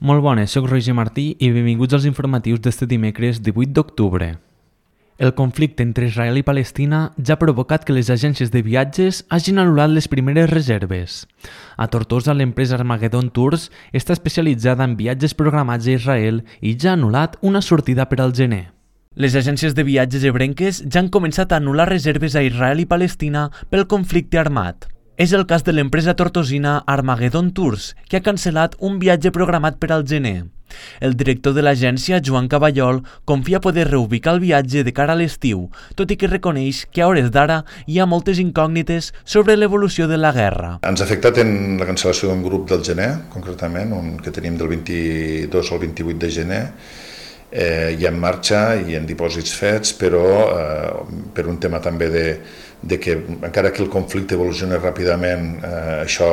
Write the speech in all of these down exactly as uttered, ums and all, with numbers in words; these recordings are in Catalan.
Molt bones, soc Roger Martí i benvinguts als informatius d'este dimecres divuit d'octubre. El conflicte entre Israel i Palestina ja ha provocat que les agències de viatges hagin anul·lat les primeres reserves. A Tortosa, l'empresa Armageddon Tours està especialitzada en viatges programats a Israel i ja ha anul·lat una sortida per al gener. Les agències de viatges ebrenques ja han començat a anul·lar reserves a Israel i Palestina pel conflicte armat. És el cas de l'empresa tortosina Armageddon Tours, que ha cancel·lat un viatge programat per al gener. El director de l'agència, Joan Caballol, confia poder reubicar el viatge de cara a l'estiu, tot i que reconeix que a hores d'ara hi ha moltes incògnites sobre l'evolució de la guerra. Ens ha afectat en la cancel·lació d'un grup del gener, concretament, un que tenim del vint-i-dos al vint-i-vuit de gener, eh, hi ha en marxa i en dipòsits fets, però eh, per un tema també de de que encara que el conflicte evolucioni ràpidament, eh, això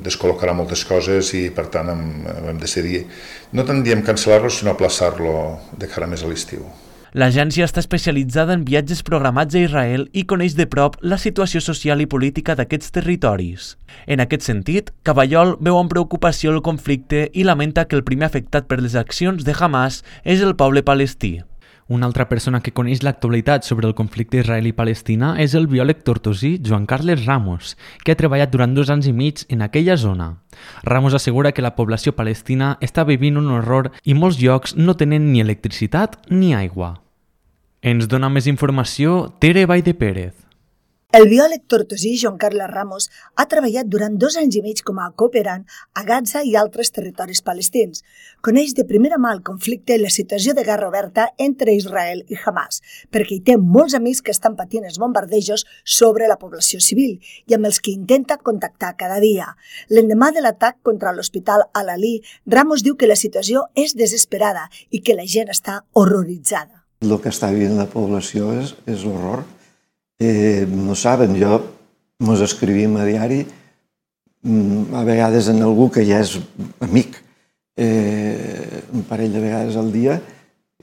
descol·locarà moltes coses i per tant hem, hem decidit no tant diem cancel·lar-lo sinó aplaçar-lo de cara més a l'estiu. L'agència està especialitzada en viatges programats a Israel i coneix de prop la situació social i política d'aquests territoris. En aquest sentit, Caballol veu amb preocupació el conflicte i lamenta que el primer afectat per les accions de Hamas és el poble palestí. Una altra persona que coneix l'actualitat sobre el conflicte israeli-palestina és el biòleg tortosí Joan Carles Ramos, que ha treballat durant dos anys i mig en aquella zona. Ramos assegura que la població palestina està vivint un horror i molts llocs no tenen ni electricitat ni aigua. Ens dona més informació Tere Baide Pérez. El biòleg tortosí Joan Carles Ramos ha treballat durant dos anys i mig com a cooperant a Gaza i altres territoris palestins. Coneix de primera mà el conflicte i la situació de guerra oberta entre Israel i Hamas, perquè hi té molts amics que estan patint els bombardejos sobre la població civil i amb els que intenta contactar cada dia. L'endemà de l'atac contra l'hospital Al-Ali, Ramos diu que la situació és desesperada i que la gent està horroritzada. El que està vivint la població és, és l'horror. Eh, no saben, jo mos escrivim a diari, a vegades en algú que ja és amic, eh, un parell de vegades al dia,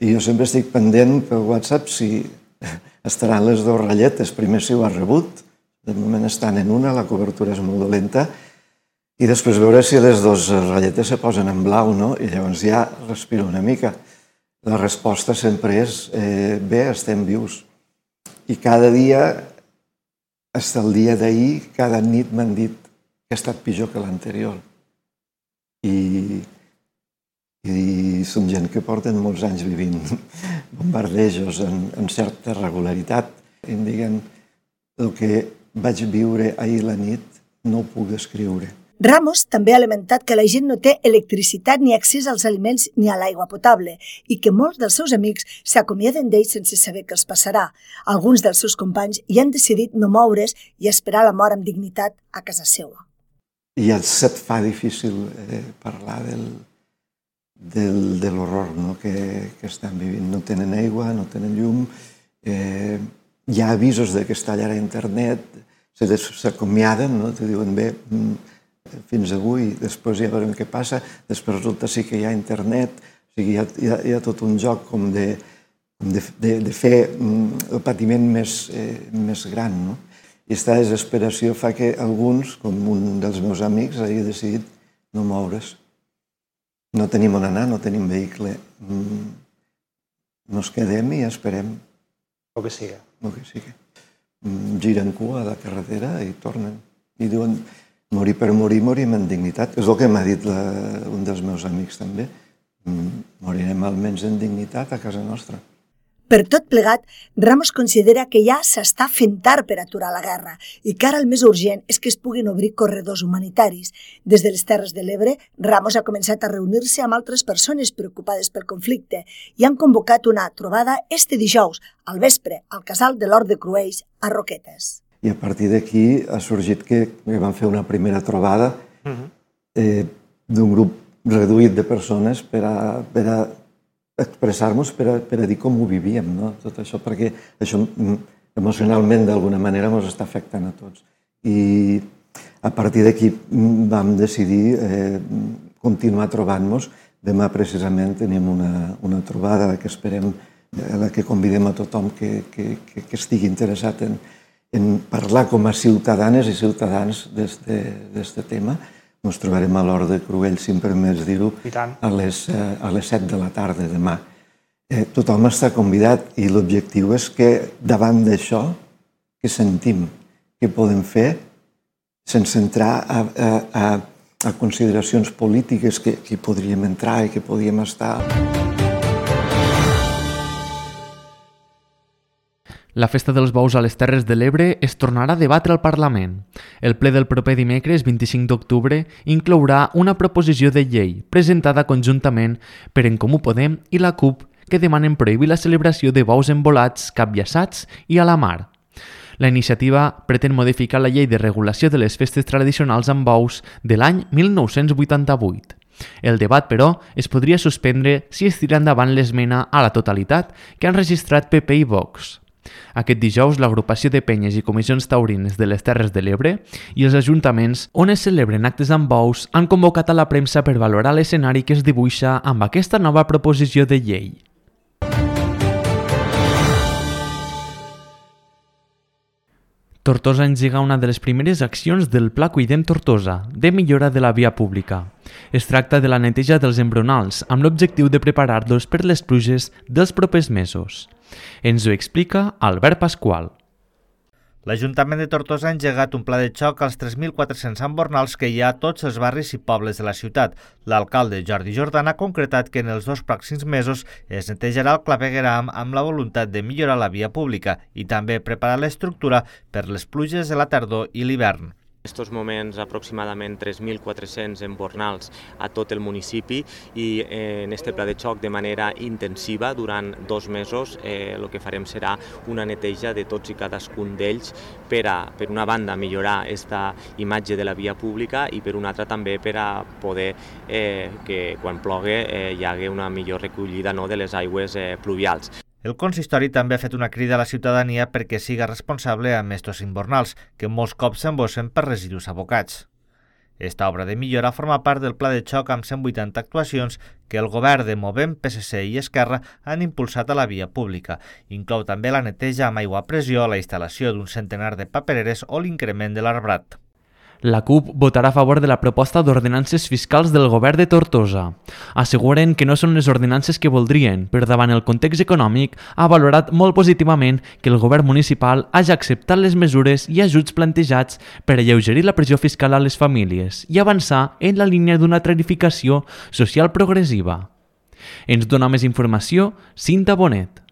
i jo sempre estic pendent per WhatsApp si estaran les dues ratlletes. Primer si ho has rebut, de moment estan en una, la cobertura és molt dolenta, i després veure si les dues ratlletes se posen en blau, no? I llavors ja respiro una mica. La resposta sempre és, eh, bé, estem vius. I cada dia, fins al dia d'ahir, cada nit m'han dit que ha estat pitjor que l'anterior. I, I són gent que porten molts anys vivint bombardejos en, en certa regularitat. I em diguen, el que vaig viure ahir la nit no ho puc descriure. Ramos també ha lamentat que la gent no té electricitat ni accés als aliments ni a l'aigua potable i que molts dels seus amics s'acomiaden d'ells sense saber què els passarà. Alguns dels seus companys hi han decidit no moure's i esperar la mort amb dignitat a casa seva. I ja se't fa difícil eh, parlar del, del, de l'horror, no? que, que estan vivint. No tenen aigua, no tenen llum, eh, hi ha avisos de que es tallarà internet, s'acomiaden, no? Te diuen bé, fins avui, després ja veurem què passa, després resulta sí que hi ha internet, o sigui, hi ha, hi ha, hi ha tot un joc com de, de, de, de fer el patiment més, eh, més gran, no? I aquesta desesperació fa que alguns, com un dels meus amics, hagi decidit no moure's. No tenim on anar, no tenim vehicle. Nos quedem i esperem. El que siga. El que siga. Giren cua a la carretera i tornen. I diuen, morir per morir, morim en dignitat. És el que m'ha dit la, un dels meus amics també. Morirem almenys en dignitat a casa nostra. Per tot plegat, Ramos considera que ja s'està fent tard per aturar la guerra i que ara el més urgent és que es puguin obrir corredors humanitaris. Des de les Terres de l'Ebre, Ramos ha començat a reunir-se amb altres persones preocupades pel conflicte i han convocat una trobada este dijous, al vespre, al casal de l'Hort de Cruells, a Roquetes. I a partir d'aquí ha sorgit que vam fer una primera trobada eh, d'un grup reduït de persones per a, per a expressar-nos, per a, per a dir com ho vivíem, no? Tot això, perquè això emocionalment d'alguna manera ens està afectant a tots. I a partir d'aquí vam decidir eh, continuar trobant-nos. Demà precisament tenim una, una trobada que esperem, a la que convidem a tothom que, que, que, que estigui interessat en, en parlar com a ciutadanes i ciutadans d'aquest tema. Ens trobarem a l'Hort de Cruell, si em permets dir-ho, a les, a les set de la tarda demà. Eh, tothom està convidat i l'objectiu és que davant d'això que sentim, que podem fer, sense entrar a, a, a, a consideracions polítiques que, que podríem entrar i que podríem estar... La Festa dels Bous a les Terres de l'Ebre es tornarà a debatre al Parlament. El ple del proper dimecres, vint-i-cinc d'octubre, inclourà una proposició de llei presentada conjuntament per En Comú Podem i la CUP que demanen prohibir la celebració de bous embolats, capllaçats i a la mar. La iniciativa pretén modificar la llei de regulació de les festes tradicionals amb bous de l'any mil nou-cents vuitanta-vuit. El debat, però, es podria suspendre si es tira endavant l'esmena a la totalitat que han registrat P P i Vox. Aquest dijous, l'agrupació de penyes i comissions taurines de les Terres de l'Ebre i els ajuntaments on es celebren actes amb bous han convocat a la premsa per valorar l'escenari que es dibuixa amb aquesta nova proposició de llei. Tortosa engega una de les primeres accions del Pla Cuidem Tortosa, de millora de la via pública. Es tracta de la neteja dels embronals, amb l'objectiu de preparar-los per les pluges dels propers mesos. Ens ho explica Albert Pasqual. L'Ajuntament de Tortosa ha engegat un pla de xoc als tres mil quatre-cents embornals que hi ha a tots els barris i pobles de la ciutat. L'alcalde Jordi Jordan ha concretat que en els dos pròxims mesos es netejarà el clavegueram amb la voluntat de millorar la via pública i també preparar l'estructura per les pluges de la tardor i l'hivern. En estos moments aproximadament tres mil quatre-cents embornals a tot el municipi i en este pla de xoc de manera intensiva durant dos mesos eh, el que farem serà una neteja de tots i cadascun d'ells per a, per una banda, millorar aquesta imatge de la via pública i per una altra també per a poder eh, que quan plogui eh, hi hagi una millor recollida no, de les aigües eh, pluvials. El consistori també ha fet una crida a la ciutadania perquè siga responsable amb estos embornals, que molts cops s'embossen per residus abocats. Esta obra de millora forma part del pla de xoc amb cent vuitanta actuacions que el govern de Movem, P S C i Esquerra han impulsat a la via pública. Inclou també la neteja amb aigua a pressió, la instal·lació d'un centenar de papereres o l'increment de l'arbrat. La CUP votarà a favor de la proposta d'ordenances fiscals del govern de Tortosa. Asseguren que no són les ordenances que voldrien, però davant el context econòmic ha valorat molt positivament que el govern municipal hagi acceptat les mesures i ajuts plantejats per alleugerir la pressió fiscal a les famílies i avançar en la línia d'una tarificació social progressiva. Ens dona més informació Cinta Bonet.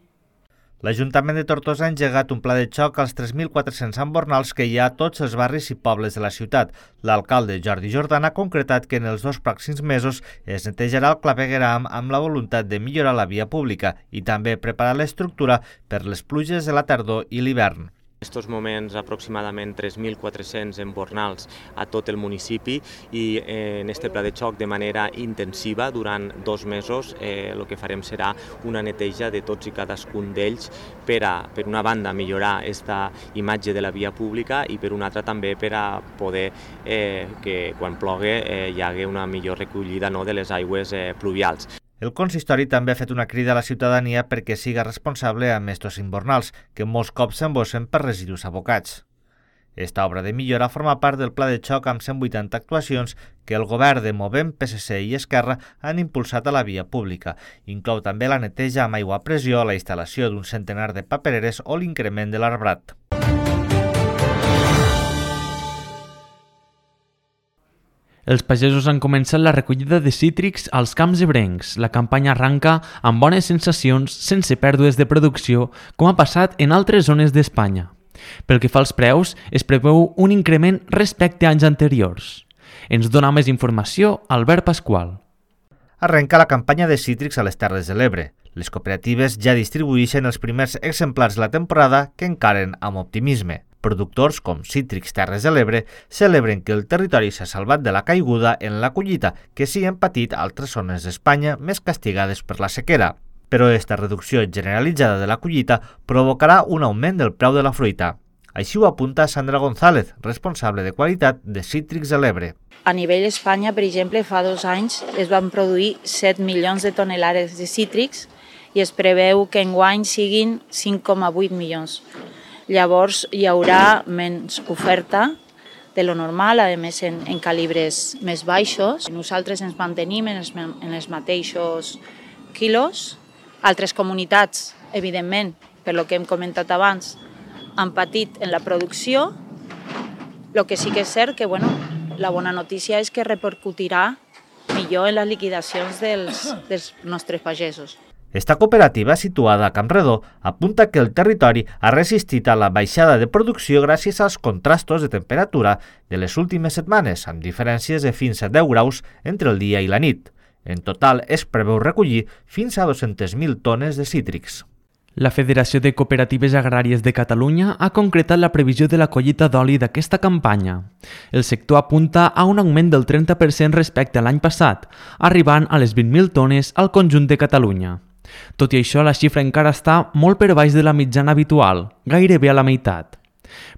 L'Ajuntament de Tortosa ha engegat un pla de xoc als tres mil quatre-cents embornals que hi ha a tots els barris i pobles de la ciutat. L'alcalde Jordi Jordan ha concretat que en els dos pròxims mesos es netejarà el clavegueram amb la voluntat de millorar la via pública i també preparar l'estructura per les pluges de la tardor i l'hivern. En estos moments aproximadament tres mil quatre-cents embornals a tot el municipi i en este pla de xoc de manera intensiva durant dos mesos eh, el que farem serà una neteja de tots i cadascun d'ells per a, per una banda, millorar aquesta imatge de la via pública i per una altra també per a poder eh, que quan plogui eh, hi hagi una millor recollida no, de les aigües eh, pluvials. El consistori també ha fet una crida a la ciutadania perquè siga responsable amb estos embornals, que molts cops s'embossen per residus abocats. Esta obra de millora forma part del pla de xoc amb cent vuitanta actuacions que el govern de Movem, P S C i Esquerra han impulsat a la via pública. Inclou també la neteja amb aigua a pressió, la instal·lació d'un centenar de papereres o l'increment de l'arbrat. Els pagesos han començat la recollida de cítrics als camps ebrencs. La campanya arranca amb bones sensacions, sense pèrdues de producció, com ha passat en altres zones d'Espanya. Pel que fa als preus, es preveu un increment respecte a anys anteriors. Ens dona més informació Albert Pasqual. Arrenca la campanya de cítrics a les Terres de l'Ebre. Les cooperatives ja distribueixen els primers exemplars de la temporada que encaren amb optimisme. Productors com Cítrics Terres de l'Ebre celebren que el territori s'ha salvat de la caiguda en la collita que s'hi han patit altres zones d'Espanya més castigades per la sequera. però aquesta reducció generalitzada de la collita provocarà un augment del preu de la fruita. Així ho apunta Sandra González, responsable de qualitat de Cítrics de l'Ebre. A nivell d'Espanya, per exemple, fa dos anys es van produir set milions de tonelades de cítrics i es preveu que enguany siguin cinc coma vuit milions. Llavors hi haurà menys oferta de lo normal, a més en, en calibres més baixos. Nosaltres ens mantenim en els, en els mateixos quilos. Altres comunitats, evidentment, per lo que hem comentat abans, han patit en la producció. El que sí que és cert que, bueno, la bona notícia és que repercutirà millor en les liquidacions dels, dels nostres pagesos. Esta cooperativa, situada a Campredó, apunta que el territori ha resistit a la baixada de producció gràcies als contrastos de temperatura de les últimes setmanes, amb diferències de fins a deu graus entre el dia i la nit. En total, es preveu recollir fins a dues-centes mil tones de cítrics. La Federació de Cooperatives Agràries de Catalunya ha concretat la previsió de la collita d'oli d'aquesta campanya. El sector apunta a un augment del trenta per cent respecte a l'any passat, arribant a les vint mil tones al conjunt de Catalunya. Tot i això, la xifra encara està molt per baix de la mitjana habitual, gairebé a la meitat.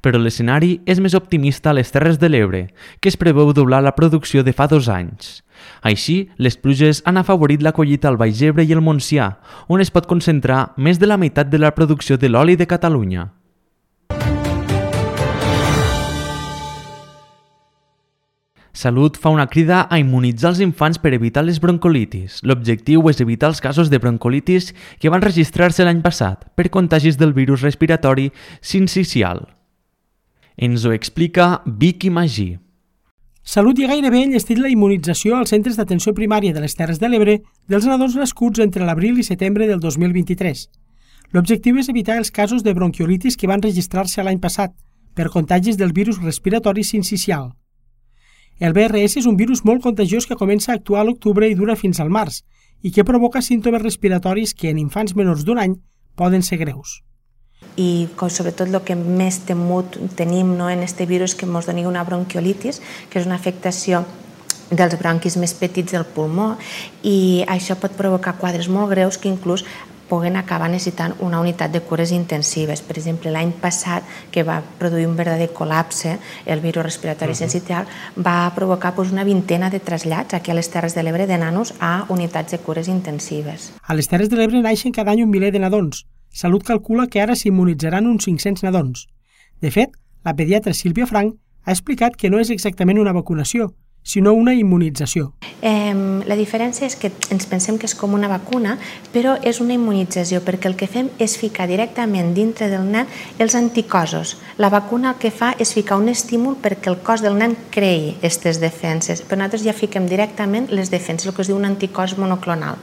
Però l'escenari és més optimista a les Terres de l'Ebre, que es preveu doblar la producció de fa dos anys. Així, les pluges han afavorit la collita al Baix Ebre i el Montsià, on es pot concentrar més de la meitat de la producció de l'oli de Catalunya. Salut fa una crida a immunitzar els infants per evitar les broncolitis. L'objectiu és evitar els casos de broncolitis que van registrar-se l'any passat per contagis del virus respiratori sincicial. Ens ho explica Vicky Magí. Salut i gairebé enllestit la immunització als centres d'atenció primària de les Terres de l'Ebre dels nadons nascuts entre l'abril i setembre del dos mil vint-i-tres. L'objectiu és evitar els casos de bronquiolitis que van registrar-se l'any passat per contagis del virus respiratori sincicial. El B R S és un virus molt contagiós que comença a actuar a l'octubre i dura fins al març i que provoca símptomes respiratoris que en infants menors d'un any poden ser greus. I sobretot el que més temut tenim no, en aquest virus que ens doni una bronquiolitis, que és una afectació dels bronquis més petits del pulmó, i això pot provocar quadres molt greus que inclús puguen acabar necessitant una unitat de cures intensives. Per exemple, l'any passat, que va produir un verdader col·lapse, el virus respiratori sincicial, va provocar doncs, una vintena de trasllats aquí a les Terres de l'Ebre de nanos a unitats de cures intensives. A les Terres de l'Ebre naixen cada any un miler de nadons. Salut calcula que ara s'immunitzaran uns cinc-cents nadons. De fet, la pediatra Sílvia Frank ha explicat que no és exactament una vacunació, sinó una immunització. Eh, la diferència és que ens pensem que és com una vacuna, però és una immunització, perquè el que fem és ficar directament dintre del nen els anticossos. La vacuna el que fa és ficar un estímul perquè el cos del nen creï aquestes defenses, però nosaltres ja fiquem directament les defenses, el que es diu un anticòs monoclonal.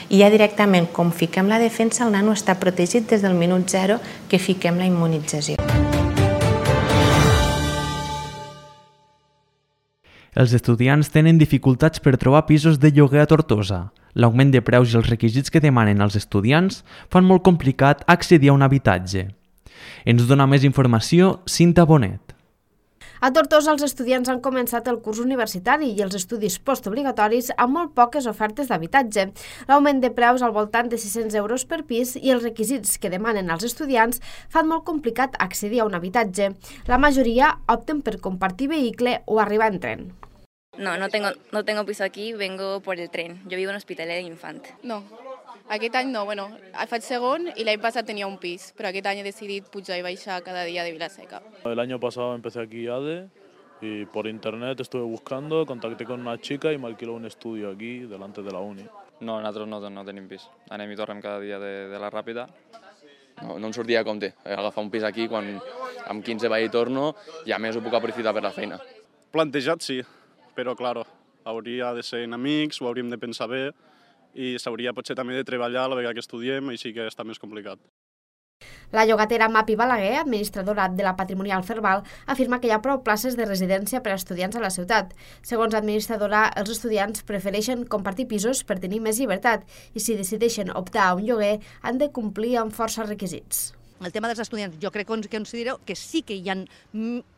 I ja directament, com fiquem la defensa, el nano està protegit des del minut zero que fiquem la immunització. Els estudiants tenen dificultats per trobar pisos de lloguer a Tortosa. L'augment de preus i els requisits que demanen els estudiants fan molt complicat accedir a un habitatge. Ens dona més informació Cinta Bonet. A Tortosa, els estudiants han començat el curs universitari i els estudis postobligatoris amb molt poques ofertes d'habitatge. L'augment de preus al voltant de sis-cents euros per pis i els requisits que demanen als estudiants fan molt complicat accedir a un habitatge. La majoria opten per compartir vehicle o arribar en tren. No, no tengo, no tengo piso aquí, vengo por el tren. Yo vivo en Hospitalet de Infant. No, aquest any no. Bueno, faig segon y l'any passat tenia un pis, però aquest any he decidit pujar y baixar cada día de Vilaseca. El año pasado empecé aquí A D E y por internet estuve buscando, contacté con una chica y me alquiló un estudio aquí, delante de la uni. No, nosaltres no, no tenim pis. Anem i tornem cada dia de, de la Ràpida. No, no em sortia a compte agafar un pis aquí quan amb quinze vaig i torno i a més ho puc aprofitar per la feina. Plantejat sí, però claro, hauria de ser en amics, ho hauríem de pensar bé i s'hauria potser també de treballar a la vegada que estudiem, així que està més complicat. La llogatera Mapi Balaguer, administradora de la Patrimonial Cerval, afirma que hi ha prou places de residència per a estudiants a la ciutat. Segons l'administradora, els estudiants prefereixen compartir pisos per tenir més llibertat i si decideixen optar a un lloguer han de complir amb força requisits. el tema dels estudiants, jo crec que considero que sí que hi ha,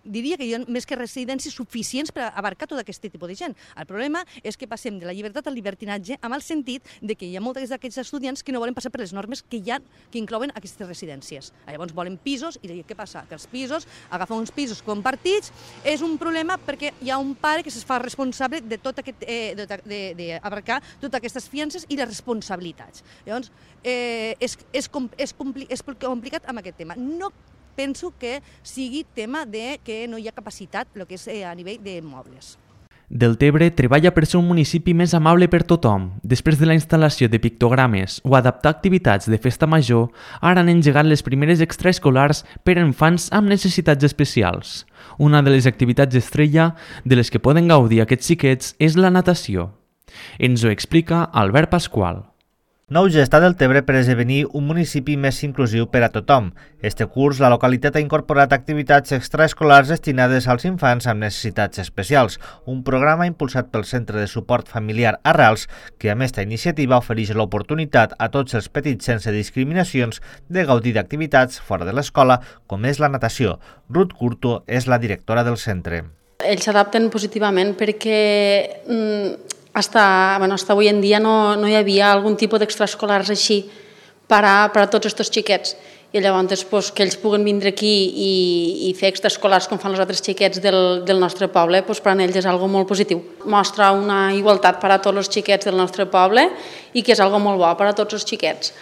diria que hi ha més que residències suficients per abarcar tot aquest tipus de gent. El problema és que passem de la llibertat al libertinatge amb el sentit de que hi ha molts d'aquests estudiants que no volen passar per les normes que hi ha, que inclouen aquestes residències. Llavors volen pisos i què passa? Que els pisos, agafar uns pisos compartits, és un problema perquè hi ha un pare que es fa responsable de tot aquest, eh, d'abarcar totes aquestes fiances i les responsabilitats. Llavors, eh, és, és, és, compli, és complicat amb aquest tema. No penso que sigui tema de que no hi ha capacitat el que és a nivell d'immobles. Deltebre treballa per ser un municipi més amable per tothom. Després de la instal·lació de pictogrames o adaptar activitats de festa major, ara han engegat les primeres extraescolars per a infants amb necessitats especials. Una de les activitats estrella de les que poden gaudir aquests xiquets és la natació. Ens ho explica Albert Pasqual. Nou gest a Deltebre per esdevenir un municipi més inclusiu per a tothom. Este curs, la localitat ha incorporat activitats extraescolars destinades als infants amb necessitats especials, un programa impulsat pel Centre de Suport Familiar Arrels, que amb esta iniciativa ofereix l'oportunitat a tots els petits sense discriminacions de gaudir d'activitats fora de l'escola, com és la natació. Ruth Curto és la directora del centre. Ells s'adapten positivament perquè mm, Hasta, bueno, hasta avui en dia no, no hi havia algun tipus d'extraescolars així per a, per a tots aquests xiquets. I llavors pues, que ells puguen vindre aquí i, i fer extraescolars com fan els altres xiquets del, del nostre poble, pues, per a ells és algo molt positiu. Mostra una igualtat per a tots els xiquets del nostre poble i que és algo molt bo per a tots els xiquets.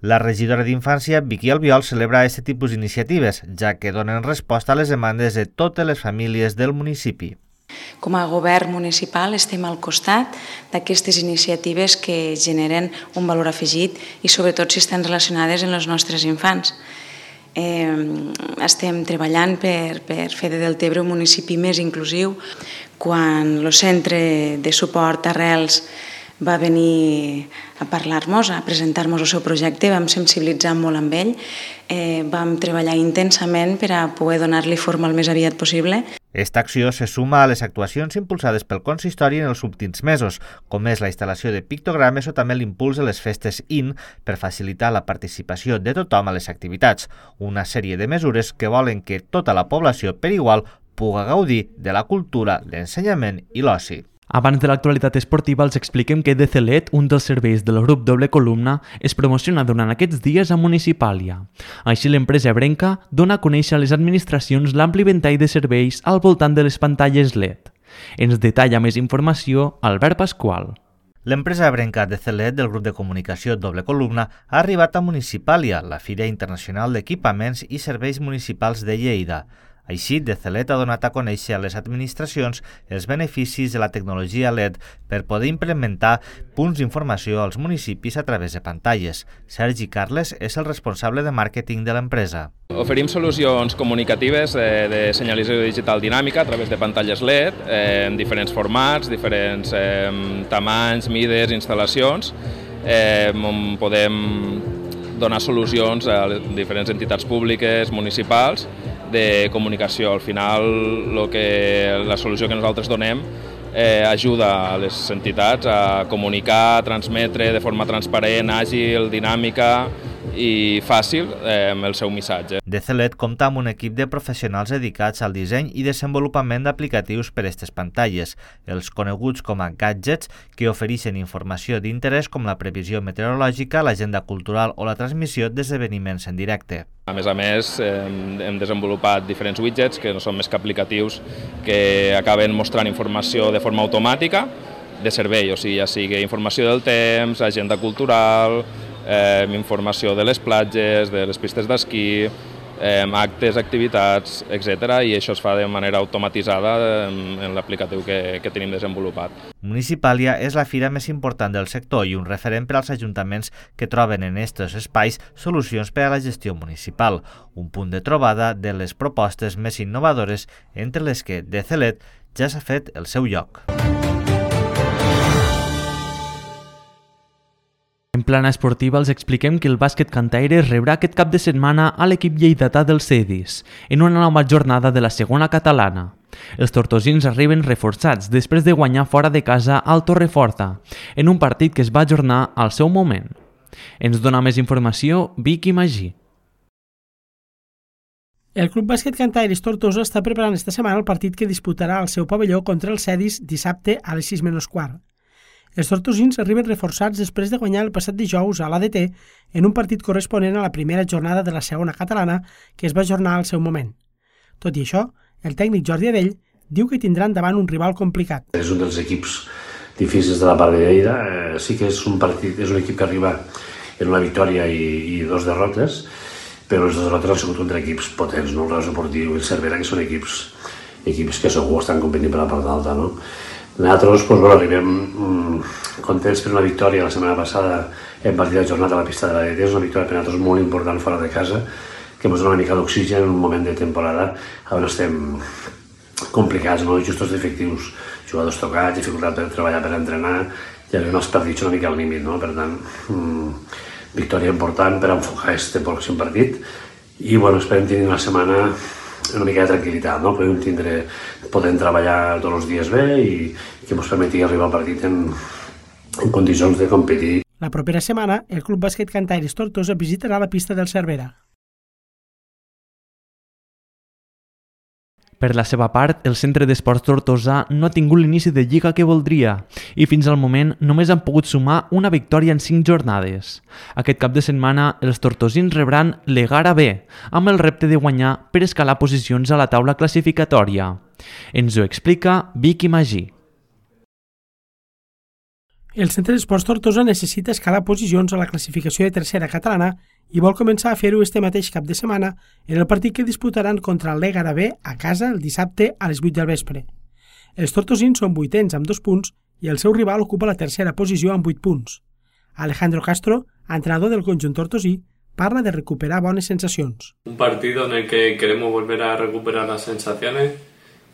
La regidora d'Infància, Vicky Albiol, celebra aquest tipus d'iniciatives, ja que donen resposta a les demandes de totes les famílies del municipi. Com a govern municipal estem al costat d'aquestes iniciatives que generen un valor afegit i sobretot si estan relacionades amb els nostres infants. Eh, estem treballant per, per fer de Deltebre un municipi més inclusiu. Quan el Centre de Suport Arrels va venir a parlar-nos, a presentar-nos el seu projecte, vam sensibilitzar molt amb ell, eh, vam treballar intensament per a poder donar-li forma el més aviat possible. Esta acció se suma a les actuacions impulsades pel consistori en els últims mesos, com és la instal·lació de pictogrames o també l'impuls de les festes I N per facilitar la participació de tothom a les activitats, una sèrie de mesures que volen que tota la població per igual puga gaudir de la cultura, l'ensenyament i l'oci. Abans de l'actualitat esportiva, els expliquem que D C L E T, un dels serveis del grup Doble Columna, es promociona durant aquests dies a Municipàlia. Així, l'empresa ebrenca dona a conèixer a les administracions l'ampli ventall de serveis al voltant de les pantalles L E D. Ens detalla més informació Albert Pasqual. L'empresa ebrenca D C L E T del grup de comunicació Doble Columna ha arribat a Municipàlia, la Fira Internacional d'Equipaments i Serveis Municipals de Lleida. Així, D C L E T ha donat a conèixer a les administracions els beneficis de la tecnologia L E D per poder implementar punts d'informació als municipis a través de pantalles. Sergi Carles és el responsable de màrqueting de l'empresa. Oferim solucions comunicatives de, de senyalització digital dinàmica a través de pantalles L E D eh, en diferents formats, diferents eh, tamanys, mides, instal·lacions, eh, on podem donar solucions a diferents entitats públiques, municipals, de comunicació. Al final, lo que, la solució que nosaltres donem eh, ajuda a les entitats a comunicar, a transmetre de forma transparent, àgil, dinàmica i fàcil eh, el seu missatge. D C L E T compta amb un equip de professionals dedicats al disseny i desenvolupament d'aplicatius per a aquestes pantalles, els coneguts com a gadgets, que ofereixen informació d'interès com la previsió meteorològica, l'agenda cultural o la transmissió d'esdeveniments en directe. A més a més, hem desenvolupat diferents widgets que no són més que aplicatius que acaben mostrant informació de forma automàtica de servei, o sigui, ja sigui informació del temps, agenda cultural, eh, informació de les platges, de les pistes d'esquí, eh, actes, activitats, etcètera, i això es fa de manera automatitzada en, en l'aplicatiu que, que tenim desenvolupat. Municipàlia és la fira més important del sector i un referent per als ajuntaments que troben en aquests espais solucions per a la gestió municipal, un punt de trobada de les propostes més innovadores entre les que D C L E T ja s'ha fet el seu lloc. En plana esportiva els expliquem que el bàsquet Cantaire rebrà aquest cap de setmana a l'equip lleidatà del Cedis, en una nova jornada de la segona catalana. Els tortosins arriben reforçats després de guanyar fora de casa al Torreforta, en un partit que es va ajornar al seu moment. Ens dona més informació Vicky Magí. El Club Bàsquet Cantaires Tortosa està preparant esta setmana el partit que disputarà al seu pavelló contra els Cedis dissabte a les sis menys quart. Els tortosins arriben reforçats després de guanyar el passat dijous a l'A D T en un partit corresponent a la primera jornada de la segona catalana que es va ajornar al seu moment. Tot i això, el tècnic Jordi Adell diu que tindran davant un rival complicat. És un dels equips difícils de la part de Lleida. Eh, sí que és un partit, és un equip que arriba en una victòria i, i dos derrotes, però les derrotes han sigut contra equips potents, no? El Real Esportiu i el Cervera, que són equips, equips que segur estan competint per la part alta, no? Nosaltres doncs, bueno, arribem mm, contents per una victòria la setmana passada en partit de jornada a la pista de l'A D T. És una victòria per nosaltres molt important fora de casa, que ens dona una mica d'oxigen en un moment de temporada on estem complicats, no? Justos d'efectius, jugadors tocats, dificultat per treballar, per entrenar, i arribem als partits una mica al límit, no? Per tant, mm, victòria important per enfocar aquest pròxim partit i bueno, esperem tenir una setmana una mica de tranquil·litat, no? Podem tindre, podem treballar tots els dies bé i que ens permeti arribar al partit en, en condicions de competir. La propera setmana, el Club Bàsquet Cantaires Tortosa visitarà la pista del Cervera. Per la seva part, el Centre d'Esports Tortosa no ha tingut l'inici de lliga que voldria i fins al moment només han pogut sumar una victòria en cinc jornades. Aquest cap de setmana, els tortosins rebran l'Egara B, amb el repte de guanyar per escalar posicions a la taula classificatòria. Ens ho explica Vicky Magí. El Centre d'Esports Tortosa necessita escalar posicions a la classificació de tercera catalana i vol començar a fer-ho este mateix cap de setmana en el partit que disputaran contra el l'Egara B a casa el dissabte a les vuit del vespre. Els tortosins són vuitens amb dos punts i el seu rival ocupa la tercera posició amb vuit punts. Alejandro Castro, entrenador del conjunt tortosí, parla de recuperar bones sensacions. Un partido en el que queremos volver a recuperar las sensaciones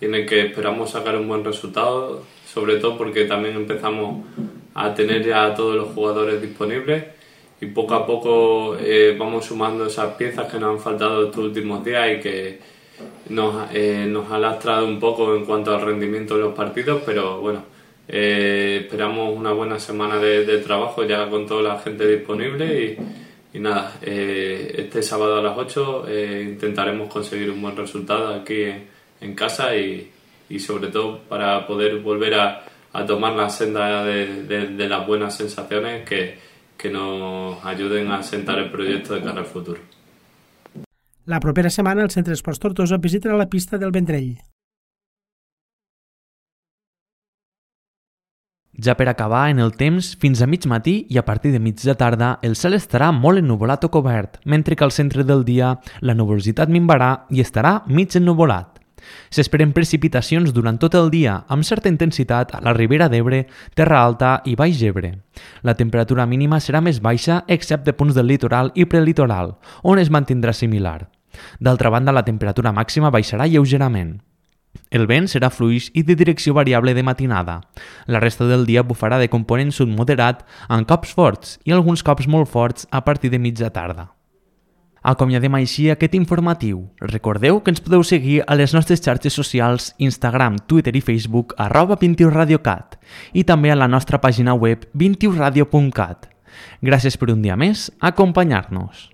y en el que esperamos sacar un buen resultado, sobre todo porque también empezamos a tener ya a todos los jugadores disponibles y poco a poco eh, vamos sumando esas piezas que nos han faltado estos últimos días y que nos, eh, nos ha lastrado un poco en cuanto al rendimiento de los partidos, pero bueno, eh, esperamos una buena semana de, de trabajo ya con toda la gente disponible y, y nada, eh, este sábado a las ocho eh, intentaremos conseguir un buen resultado aquí en, en casa y, y sobre todo para poder volver a a tomar la senda de, de, de las buenas sensaciones que, que nos ayuden a sentar el proyecto de cara al futuro. La propera setmana el Centre d'Esports Tortosa visitarà la pista del Vendrell. Ja per acabar, en el temps, fins a mig matí i a partir de mig de tarda, el cel estarà molt ennuvolat o cobert, mentre que al centre del dia la nuvolositat minvarà i estarà mig ennuvolat. S'esperen precipitacions durant tot el dia, amb certa intensitat a la Ribera d'Ebre, Terra Alta i Baix Ebre. La temperatura mínima serà més baixa excepte punts del litoral i prelitoral, on es mantindrà similar. D'altra banda, la temperatura màxima baixarà lleugerament. El vent serà fluix i de direcció variable de matinada. La resta del dia bufarà de component sud moderat amb cops forts i alguns cops molt forts a partir de mitja tarda. Acomiadem així aquest informatiu. Recordeu que ens podeu seguir a les nostres xarxes socials Instagram, Twitter i Facebook arroba vint u radio cat i també a la nostra pàgina web vint u radio punt cat. Gràcies per un dia més a acompanyar-nos.